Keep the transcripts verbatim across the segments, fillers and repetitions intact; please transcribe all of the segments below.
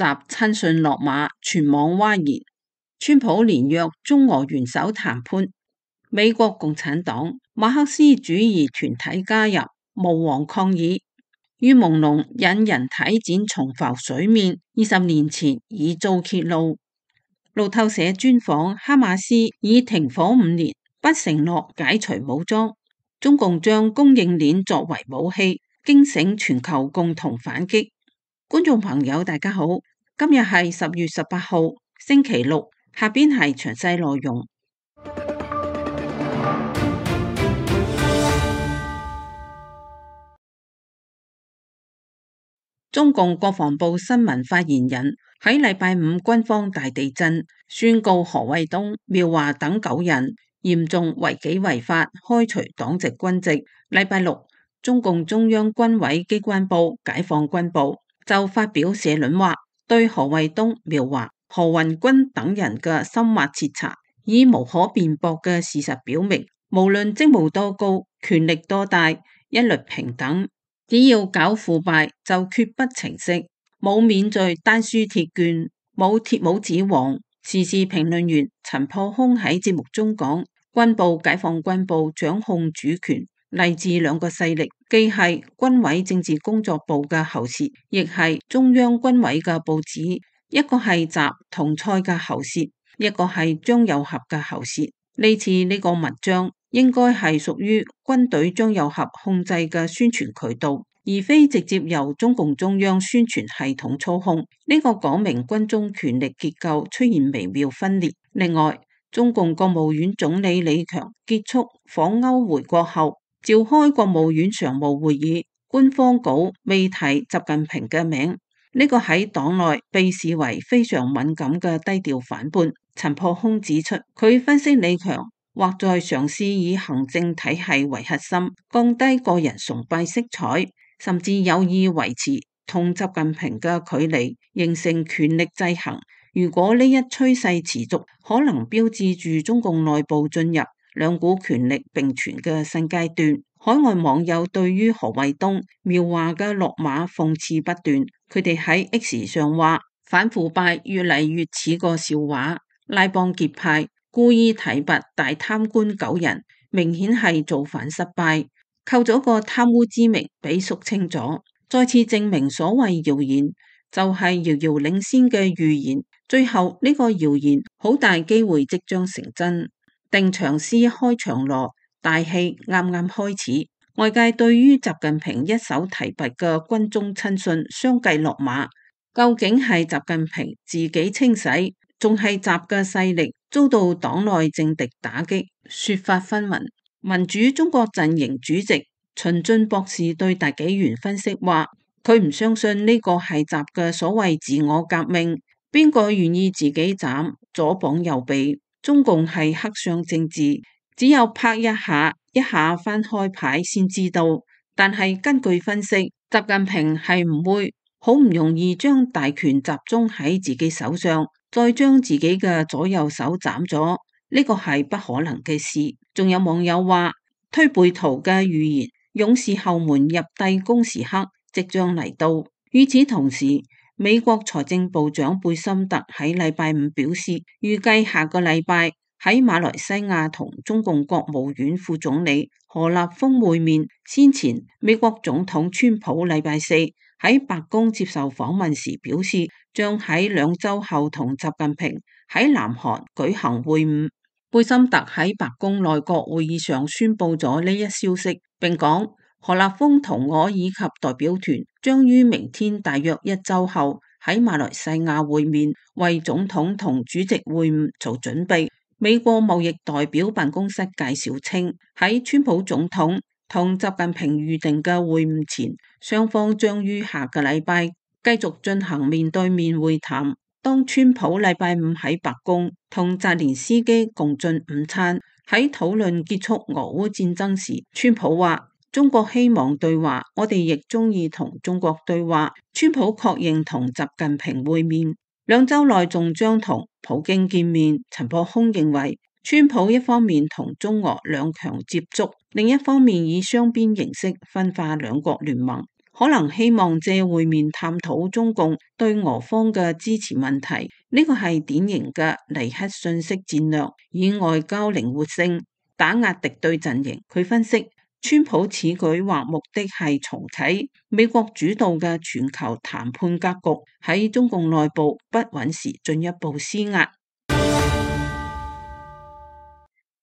習親信落馬，全網譁然。川普連約中俄元首談判，美國共產黨、馬克思主義團體加入，巫王抗議。於朦朧引人體展重浮水面，二十年前已遭揭露。路透社專訪哈馬斯已停火五年，不承諾解除武裝，中共將供應鏈作為武器，驚醒全球共同反擊。觀眾朋友大家好，今日係十月十八號星期六，下邊係詳細內容。中共國防部新聞發言人喺禮拜五軍方大地震，宣告何衛東、苗華等九人嚴重違紀違法，開除黨籍軍籍。禮拜六，中共中央軍委機關報《解放軍報》就發表社論話，對何衛東、苗華、何雲軍等人嘅深挖徹查，以無可辯駁嘅事實表明，無論職務多高、權力多大，一律平等。只要搞腐敗就決不情色，冇免罪單輸鐵券，冇鐵帽子王。時事評論員陳破空喺節目中講，軍報解放軍報掌控主權，嚟自兩個勢力，既係軍委政治工作部嘅喉舌，亦係中央軍委嘅報紙。一個係習同蔡嘅喉舌，一個係張又俠嘅喉舌。呢次呢個文章應該係屬於軍隊張又俠控制嘅宣傳渠道，而非直接由中共中央宣傳系統操控。呢、這個講明軍中權力結構出現微妙分裂。另外，中共國務院總理李強結束訪歐回國後，召開國務院常務會議，官方稿未提習近平嘅名，呢、這個喺黨內被視為非常敏感嘅低調反叛。陳破空指出，佢分析李強或在嘗試以行政體系為核心，降低個人崇拜色彩，甚至有意維持同習近平嘅距離，形成權力制衡。如果呢一趨勢持續，可能標誌住中共內部進入兩股權力並存嘅新階段。海外網友對於何衛東、苗華嘅落馬諷刺不斷，佢哋喺 X 上話，反腐敗越嚟越似個笑話，拉幫結派，故意提拔大貪官九人，明顯係造反失敗，扣咗個貪污之名俾肅清咗，再次證明所謂謠言就係遙遙領先嘅預言，最後呢個謠言好大機會即將成真。定場詩開場樂，大戲啱啱開始，外界對於習近平一手提拔嘅軍中親信相繼落馬，究竟係習近平自己清洗，仲係習嘅勢力遭到黨內政敵打擊，說法紛紜。民主中國陣營主席秦進博士對大紀元分析話，佢唔相信呢個係習嘅所謂自我革命，邊個願意自己斬左膀右臂？中共係黑箱政治，只有拍一下一下翻開牌先知道。但係根據分析，習近平係唔會好唔容易將大權集中喺自己手上，再將自己嘅左右手斬咗，呢個係不可能嘅事。仲有網友話，推背圖嘅預言，勇士後門入帝宮時刻即將嚟到。與此同時，美國財政部長貝森特喺禮拜五表示，預計下個禮拜喺馬來西亞同中共國務院副總理何立峰會面。先前美國總統川普禮拜四喺白宮接受訪問時表示，將喺兩週後同習近平喺南韓舉行會晤。貝森特喺白宮內閣會議上宣布咗呢一消息，並講何立峰同我以及代表團將於明天大約一週後喺馬來西亞會面，為總統同主席會晤做準備。美國貿易代表辦公室介紹稱，喺川普總統同習近平預定嘅會晤前，雙方將於下個禮拜繼續進行面對面會談。當川普禮拜五喺白宮同澤連斯基共進午餐，喺討論結束俄烏戰爭時，川普話，中國希望對話，我哋亦中意同中國對話。川普確認同習近平會面，兩週內仲將同普京見面。陳破空認為，川普一方面同中俄兩強接觸，另一方面以雙邊形式分化兩國聯盟，可能希望借會面探討中共對俄方嘅支持問題。呢個係典型嘅尼克遜式戰略，以外交靈活性打壓敵對陣營。佢分析，川普此舉或目的係重啟美國主導嘅全球談判格局，喺中共內部不穩時進一步施壓。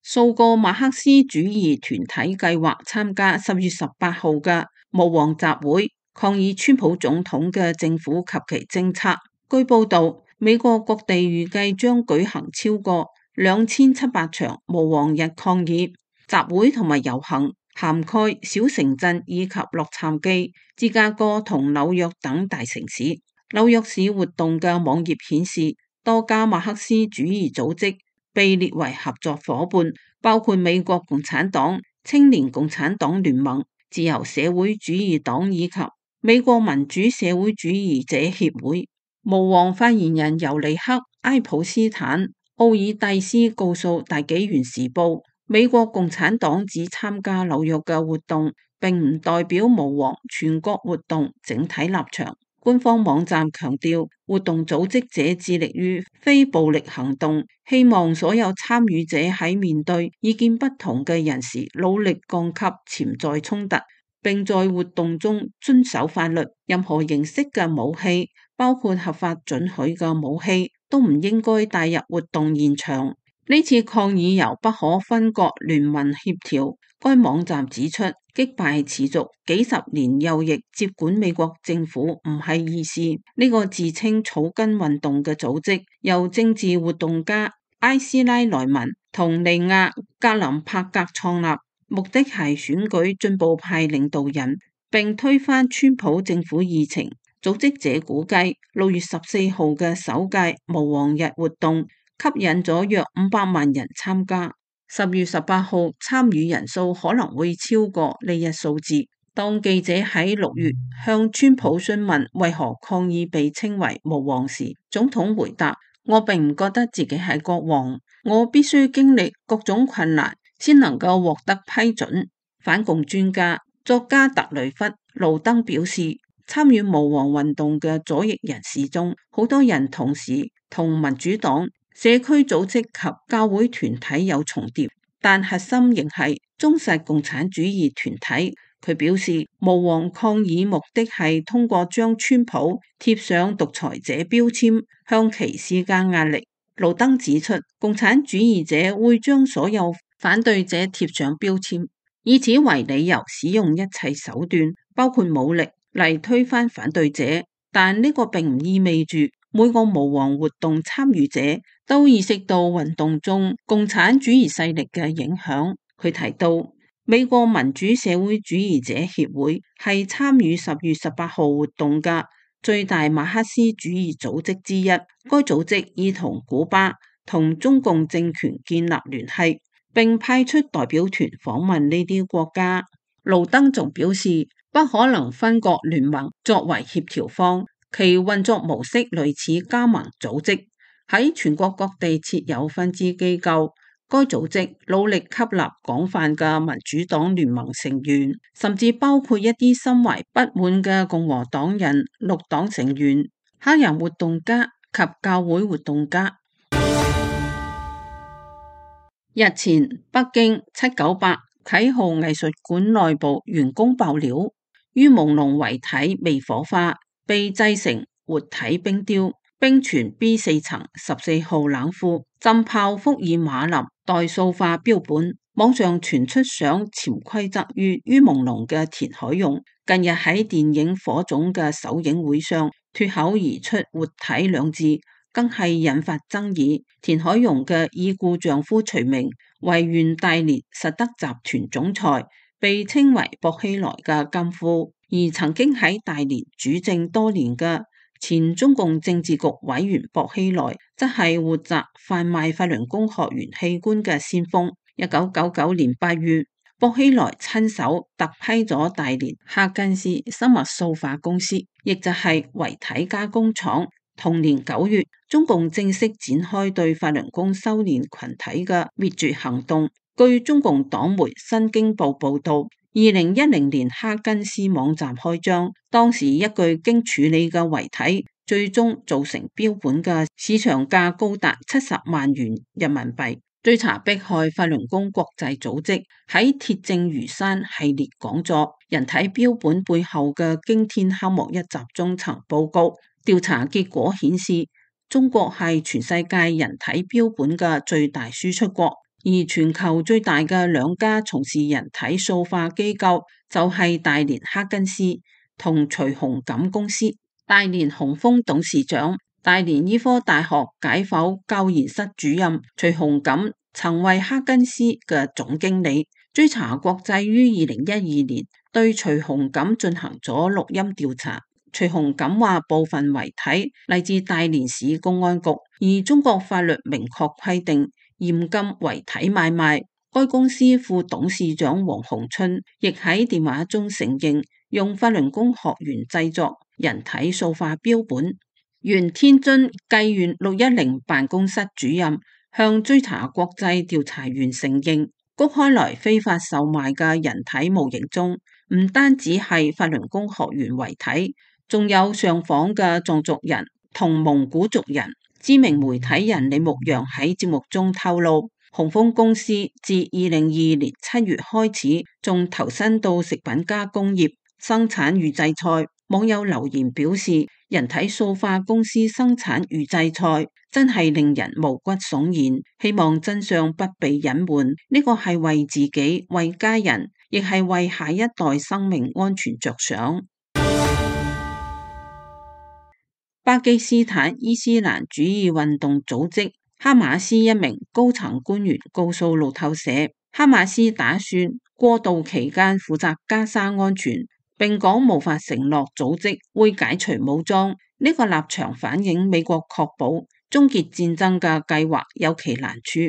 數個馬克思主義團體計劃參加十月十八號嘅無黃集會，抗議川普總統嘅政府及其政策。據報道，美國各地預計將舉行超過兩千七百場無黃日抗議集會同埋遊行，涵蓋小城鎮以及洛杉磯、芝加哥同紐約等大城市。紐約市活動嘅網頁顯示，多家馬克思主義組織被列為合作夥伴，包括美國共產黨、青年共產黨聯盟、自由社會主義黨以及美國民主社會主義者協會。無黃發言人尤尼克·埃普斯坦奧爾蒂斯告訴大紀元時報，美國共產黨只參加紐約嘅活動，並唔代表無黃全國活動整體立場。官方網站強調，活動組織者致力於非暴力行動，希望所有參與者喺面對意見不同嘅人時，努力降級潛在衝突，並在活動中遵守法律。任何形式嘅武器，包括合法准許嘅武器，都唔應該帶入活動現場。呢次抗議由不可分割聯盟協調。該網站指出，擊敗持續幾十年右翼接管美國政府唔係易事。呢個自稱草根運動嘅組織由政治活動家埃斯拉萊文同尼亞格林柏格創立，目的係選舉進步派領導人並推翻川普政府議程。組織者估計六月十四號嘅首屆無黃日活動吸引咗約五百萬人參加。十月十八號參與人數可能會超過呢一數字。當記者喺六月向川普詢問為何抗議被稱為無黃時，總統回答：我並唔覺得自己係國王，我必須經歷各種困難先能夠獲得批准。反共專家作家特雷弗·盧登表示，參與無黃運動嘅左翼人士中，好多人同時同民主黨、社區組織及教會團體有重疊，但核心仍係忠實共產主義團體。佢表示，無黃抗議目的係通過將川普貼上獨裁者標籤，向其施加壓力。盧登指出，共產主義者會將所有反對者貼上標籤，以此為理由使用一切手段，包括武力嚟推翻反對者。但呢個並唔意味住每個無黃活動參與者都意識到運動中共產主義勢力嘅影響。佢提到，美國民主社會主義者協會係參與十月十八號活動嘅最大馬克思主義組織之一。該組織已同古巴同中共政權建立聯繫，並派出代表團訪問呢啲國家。盧登仲表示，不可能分割聯盟作為協調方，其運作模式類似加盟組織，喺全國各地設有分支機構。該組織努力吸納廣泛嘅民主黨聯盟成員，甚至包括一啲心懷不滿嘅共和黨人、綠黨成員、黑人活動家及教會活動家。日前，北京七九八啟浩藝術館內部員工爆料，于朦朧遺體未火化，被製成活體冰雕，冰泉 B 四層十四號冷庫，浸泡福爾馬林代塑化標本。網上傳出想潛規則於于朦朧嘅田海容，近日喺電影《火種》嘅首映會上脫口而出活體兩字，更係引發爭議。田海容嘅已故丈夫徐明為原大連實德集團總裁，被稱為薄熙來嘅金夫，而曾經喺大連主政多年嘅前中共政治局委員薄熙來，則係活摘販賣法輪功學員器官嘅先鋒。一九九九年八月，薄熙來親手特批咗大連哈根斯生物塑化公司，亦就係遺體加工廠。同年九月，中共正式展開對法輪功修煉群體嘅滅絕行動。據中共黨媒《新京報》報道，二零一零年哈根斯網站開張，當時一具經處理嘅遺體最終造成標本嘅市場價高達七十萬元人民幣。追查迫害法輪功國際組織喺鐵證如山系列講座，人體標本背後嘅驚天黑幕一集中層報告調查結果顯示，中國係全世界人體標本嘅最大輸出國，而全球最大嘅兩家從事人體塑化機構就係大連哈根斯同徐紅錦公司。大連紅楓董事長、大連醫科大學解剖教研室主任徐紅錦曾為哈根斯嘅總經理。追查國際於二零一二年對徐紅錦進行咗錄音調查。徐紅錦話部分遺體嚟自大連市公安局，而中國法律明確規定嚴禁遺體買賣。該公司副董事長王洪春亦喺電話中承認用法輪功學員製作人體塑化標本。原天津薊縣六一零辦公室主任向追查國際調查員承認，谷開來非法售賣嘅人體模型中，唔單止係法輪功學員遺體，仲有上訪嘅藏族人同蒙古族人。知名媒體人李牧陽喺節目中透露，紅楓公司自二零二二年七月開始，仲投身到食品加工業生產預製菜。網友留言表示，人體塑化公司生產預製菜真係令人毛骨悚然，希望真相不被隱瞞。呢個係為自己、為家人，亦係為下一代生命安全着想。巴基斯坦伊斯蘭主義運動組織哈馬斯一名高層官員告訴路透社，哈馬斯打算過渡期間負責加沙安全，並講無法承諾組織會解除武裝。呢個立場反映美國確保終結戰爭嘅計劃有其難處。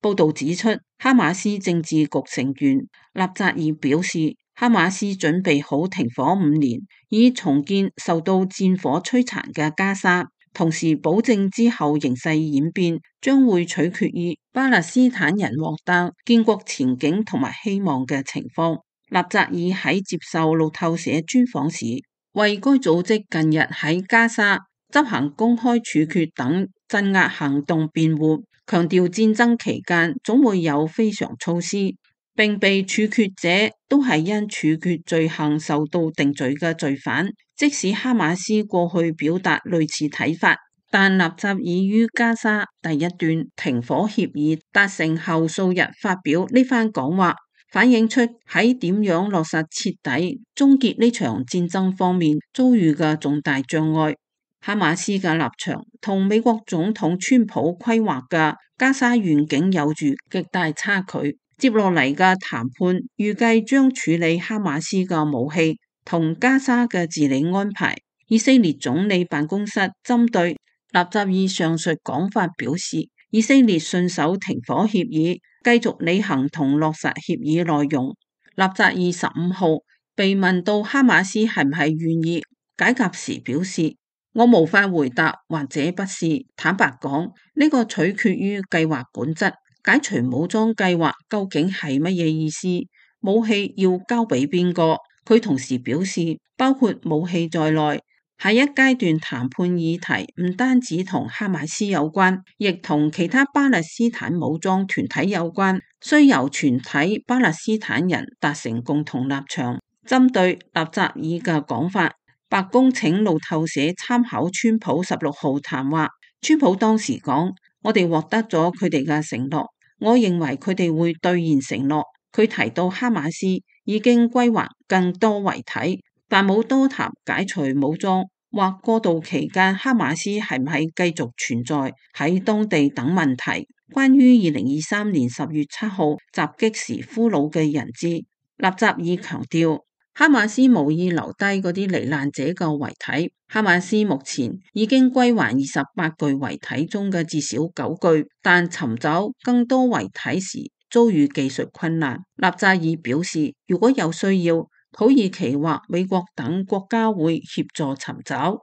報道指出，哈馬斯政治局成員納扎爾表示，哈馬斯準備好停火五年，以重建受到戰火摧殘嘅加沙，同時保證之後形勢演變將會取決於巴勒斯坦人獲得建國前景同埋希望嘅情況。納扎爾喺接受路透社專訪時，為該組織近日喺加沙執行公開處決等鎮壓行動辯護，強調戰爭期間總會有非常措施，並被處決者都係因處決罪行受到定罪嘅罪犯。即使哈馬斯過去表達類似睇法，但納扎爾於加沙第一段停火協議達成後數日發表呢番講話，反映出喺點樣落實徹底終結呢場戰爭方面遭遇嘅重大障礙。哈馬斯嘅立場同美國總統川普規劃嘅加沙願景有住極大差距。接落嚟嘅談判預計將處理哈馬斯嘅武器同加沙嘅治理安排。以色列總理辦公室針對納扎爾上述講法表示，以色列信守停火協議，繼續履行同落實協議內容。納扎爾十五號被問到哈馬斯係唔係願意解甲時表示，我無法回答或者不是。坦白講，呢個取決於計劃本質。解除武裝計劃究竟係乜嘢意思？武器要交俾邊個？佢同時表示，包括武器在內，下一階段談判議題唔單止同哈馬斯有關，亦同其他巴勒斯坦武裝團體有關，需由全體巴勒斯坦人達成共同立場。針對納扎爾嘅講法，白宮請路透社參考川普十六號談話。川普當時講，我哋獲得咗佢哋嘅承諾，我認為佢哋會兌現承諾。佢提到哈馬斯已經歸還更多遺體，但冇多談解除武裝或過渡期間哈馬斯係唔係繼續存在喺當地等問題。關於二零二三年十月七號襲擊時俘虜嘅人質，納扎爾強調，哈馬斯無意留低嗰啲罹難者嘅遺體。哈馬斯目前已經歸還二十八具遺體中嘅至少九具，但尋找更多遺體時遭遇技術困難。納扎爾表示，如果有需要，土耳其或美國等國家會協助尋找。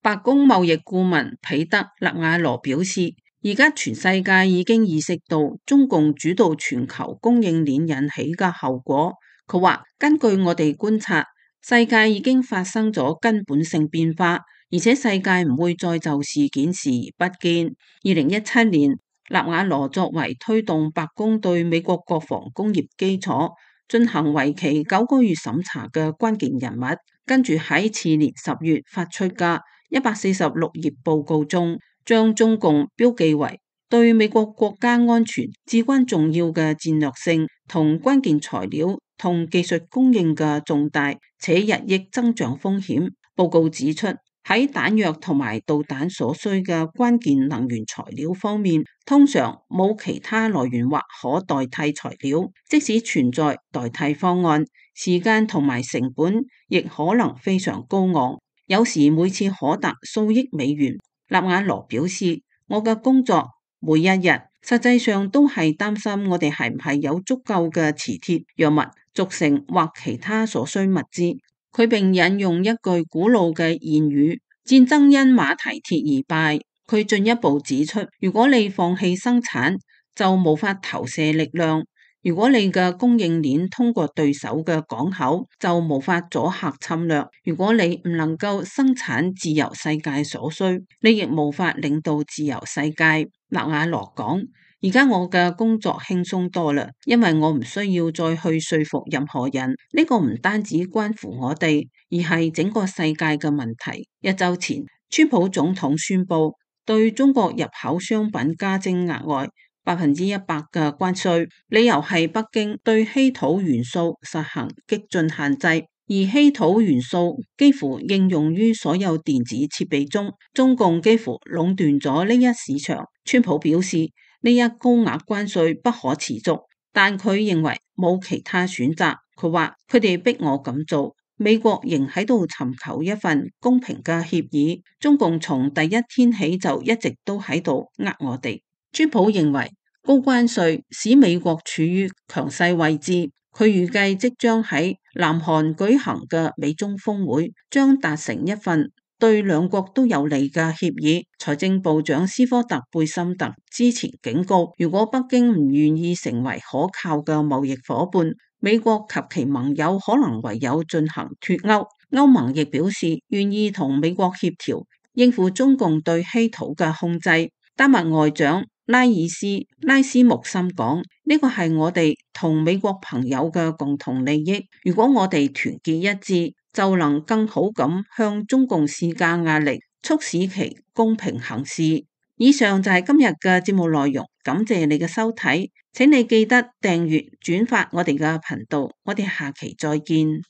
白宮貿易顧問彼得勒瓦羅表示，而家全世界已經意識到中共主導全球供應鏈引起嘅後果。佢話，根據我哋觀察，世界已經發生咗根本性變化，而且世界唔會再就事件視而不見。二零一七年，納瓦羅作為推動白宮對美國國防工業基礎進行為期九個月審查嘅關鍵人物，跟住喺次年十月發出嘅一百四十六頁報告中，將中共標記為對美國國家安全至關重要嘅戰略性同關鍵材料同技術供應嘅重大且日益增長風險。報告指出，喺彈藥同埋導彈所需嘅關鍵能源材料方面，通常冇其他來源或可代替材料，即使存在代替方案，時間同埋成本亦可能非常高昂，有時每次可達數億美元。納瓦羅表示，我嘅工作每一日實際上都係擔心我哋係唔係有足夠嘅磁鐵、藥物、軸承或其他所需物資。佢並引用一句古老嘅諺語：戰爭因馬蹄鐵而敗。佢進一步指出，如果你放棄生產，就無法投射力量；如果你嘅供應鏈通過對手嘅港口，就無法阻嚇侵略；如果你唔能夠生產自由世界所需，你亦無法領導自由世界。納瓦羅講：而家我嘅工作輕鬆多啦，因為我唔需要再去說服任何人。呢個唔單止關乎我哋，而係整個世界嘅問題。一週前，川普總統宣布對中國入口商品加徵額外百分之一百嘅關稅，理由係北京對稀土元素實行激進限制，而稀土元素幾乎應用於所有電子設備中，中共幾乎壟斷咗呢一市場。川普表示，呢一高額關稅不可持續，但佢認為冇其他選擇。佢話佢哋逼我咁做，美國仍喺度尋求一份公平嘅協議。中共從第一天起就一直都喺度呃我哋。川普認為高關稅使美國處於強勢位置，佢預計即將喺南韓舉行嘅美中峰會將達成一份對兩國都有利嘅協議。財政部長斯科特貝森特之前警告，如果北京唔願意成為可靠嘅貿易夥伴，美國及其盟友可能唯有進行脫歐。歐盟亦表示願意同美國協調，應付中共對稀土嘅控制。丹麥外長拉爾斯拉斯穆森講：呢個係我哋同美國朋友嘅共同利益。如果我哋團結一致，就能更好咁向中共施加壓力，促使其公平行事。以上就係今日嘅節目內容，感謝你嘅收睇，請你記得訂閱轉發我哋嘅頻道，我哋下期再見。